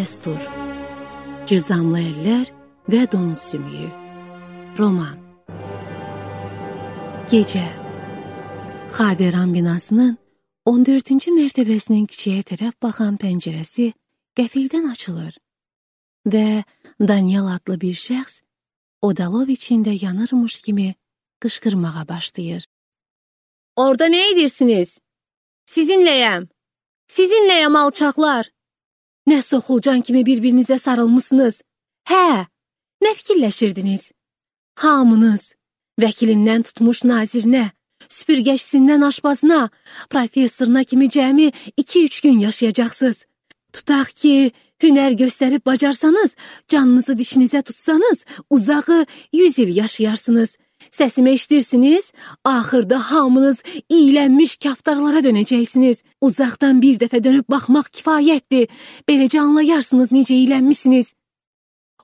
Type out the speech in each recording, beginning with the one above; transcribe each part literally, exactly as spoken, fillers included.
Destur, Cüzamlı Eller və Donuz Sümüyü. Roman. Gecə. Xaveran binasının on dördüncü mərtəbəsinin küçəyə tərəf baxan pəncərəsi qəfildən açılır və Daniel adlı bir şəxs odalov içində yanırmış kimi qışqırmağa başlayır. Orada nə edirsiniz? Sizinləyəm. Sizinləyəm alçaqlar. Nə soxulcan kimi bir-birinizə sarılmışsınız. Hə, nə fikirləşirdiniz? Hamınız, vəkilindən tutmuş nazirinə, süpürgəçisindən aşbazına, professoruna kimi cəmi iki üç gün yaşayacaqsınız. Tutaq ki, hünər göstərib bacarsanız, canınızı dişinizə tutsanız, uzağı yüz il yaşayarsınız. Səsimi eşidirsiniz, axırda hamınız iyilənmiş kaftarlara dönəcəksiniz. Uzaqdan bir dəfə dönüb baxmaq kifayətdir. Beləcə anlayarsınız necə iyilənmişsiniz.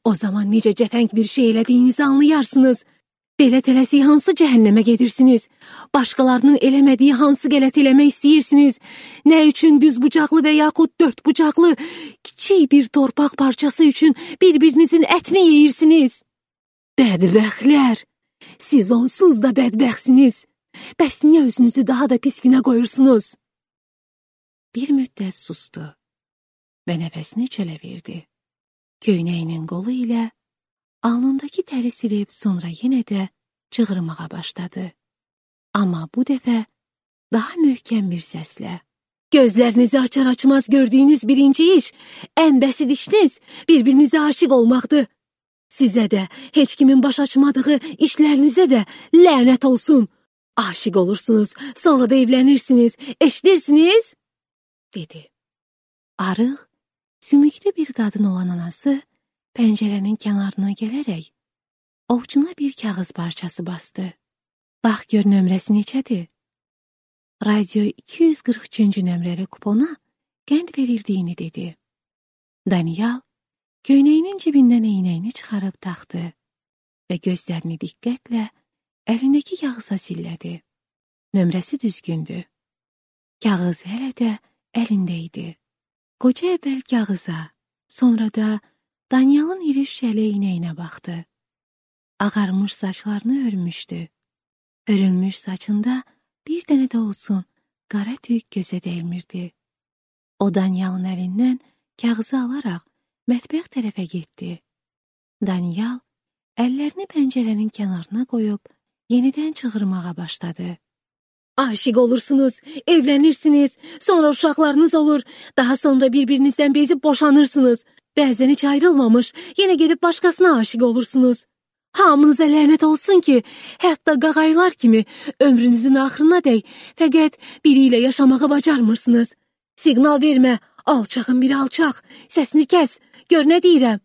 O zaman necə cəfəng bir şey elədiyinizi anlayarsınız. Belə tələsik hansı cəhənnəmə gedirsiniz? Başqalarının eləmədiyi hansı qələt eləmək istəyirsiniz? Nə üçün düz bucaqlı və yaxud dörd bucaqlı, kiçik bir torpaq parçası üçün bir-birinizin ətini yeyirsiniz? Bədbəxtlər! Siz onsuz da bədbəxtsiniz. Bəs niyə özünüzü daha da pis günə qoyursunuz? Bir müddət sustu və nəfəsini çölə verdi. Köynəyinin qolu ilə alnındakı təri silib sonra yenə də çığırmağa başladı. Amma bu dəfə daha möhkəm bir səslə. Gözlərinizi açar-açmaz gördüyünüz birinci iş, ən bəsit işiniz bir-birinizə aşiq olmaqdır. Sizə də, heç kimin baş açmadığı işlərinizə də lənət olsun. Aşiq olursunuz, sonra da evlənirsiniz, eşidirsiniz? Dedi. Arıq, sümüklü bir qadın olan anası pəncərənin kənarına gələrək ovcuna bir kağız parçası bastı. Bax gör nömrəsi neçədir? Radio iki yüz qırx üçüncü nömrəli kupona qənd verildiyini dedi. Daniel köynəyinin cibindən eynəyini çıxarıb taxdı və gözlərini diqqətlə əlindəki kağıza sillədi. Nömrəsi düzgündü. Kağız hələ də əlində idi. Qoca əvvəl kağıza, sonra da Daniel'ın iri şüşəli eynəyinə baxdı. Ağarmış saçlarını örmüşdü. Örülmüş saçında bir dənə də olsun qara tük gözə dəymirdi. O Daniel'ın əlindən kağızı alaraq mətbəx tərəfə getdi. Daniel əllərini pəncərənin kənarına qoyub yenidən çığırmağa başladı. Aşiq olursunuz, evlənirsiniz, sonra uşaqlarınız olur, daha sonra bir-birinizdən bezib boşanırsınız. Bəzən heç ayrılmamış, yenə gedib başqasına aşiq olursunuz. Hamınıza lənət olsun ki, hətta qağaylar kimi ömrünüzün axırına dək fəqət biri ilə yaşamağı bacarmırsınız. Siqnal vermə, alçağın biri alçaq, səsini kəs. Gör nə deyirəm?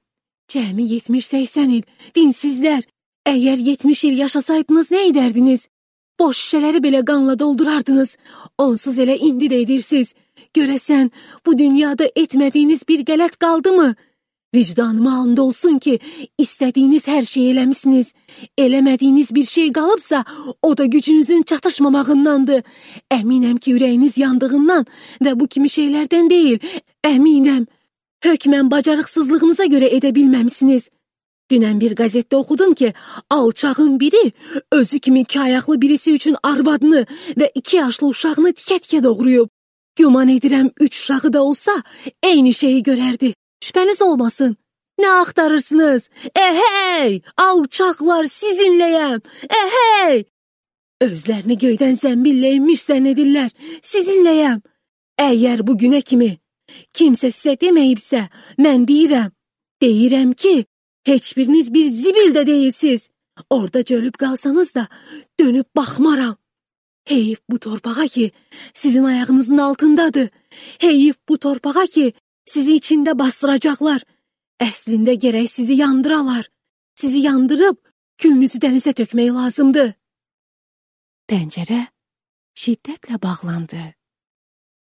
Cəmi yetmiş səksən il, dinsizlər. Əgər yetmiş il yaşasaydınız nə edərdiniz? Boş şüşələri belə qanla doldurardınız. Onsuz elə indi də edirsiniz. Görəsən, bu dünyada etmədiyiniz bir qələt qaldı mı? Vicdanıma and olsun ki, istədiyiniz hər şeyi eləmişsiniz. Eləmədiyiniz bir şey qalıbsa, o da gücünüzün çatışmamağındandır. Əminəm ki, ürəyiniz yandığından və bu kimi şeylərdən deyil. Əminəm. Hökmən bacarıqsızlığınıza görə edə bilməmişsiniz. Dünən bir qəzetdə oxudum ki, alçağın biri özü kimi iki ayaqlı birisi üçün arvadını və iki yaşlı uşağını tikə-tikə doğrayıb. Güman edirəm üç uşağı da olsa eyni şeyi görərdi. Şübhəniz olmasın. Nə axtarırsınız? Əhey! Alçaqlar sizinləyəm! Əhey! Özlərini göydən zəmbillə inmiş zənn edirlər. Sizinləyəm. Əgər bu günə kimi kimsə sizə deməyibsə, mən deyirəm. Deyirəm ki, heç biriniz bir zibil də deyilsiz. Orada cölüb qalsanız da dönüb baxmaram. Heyif bu torpağa ki, sizin ayağınızın altındadır. Heyif bu torpağa ki, sizi içində bastıracaqlar. Əslində gərək sizi yandıralar. Sizi yandırıb külünüzü dənizə tökmək lazımdır. Pəncərə şiddətlə bağlandı.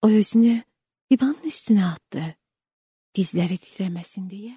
O özünü divanın üstünə atdı. Dizləri titrəməsin deyə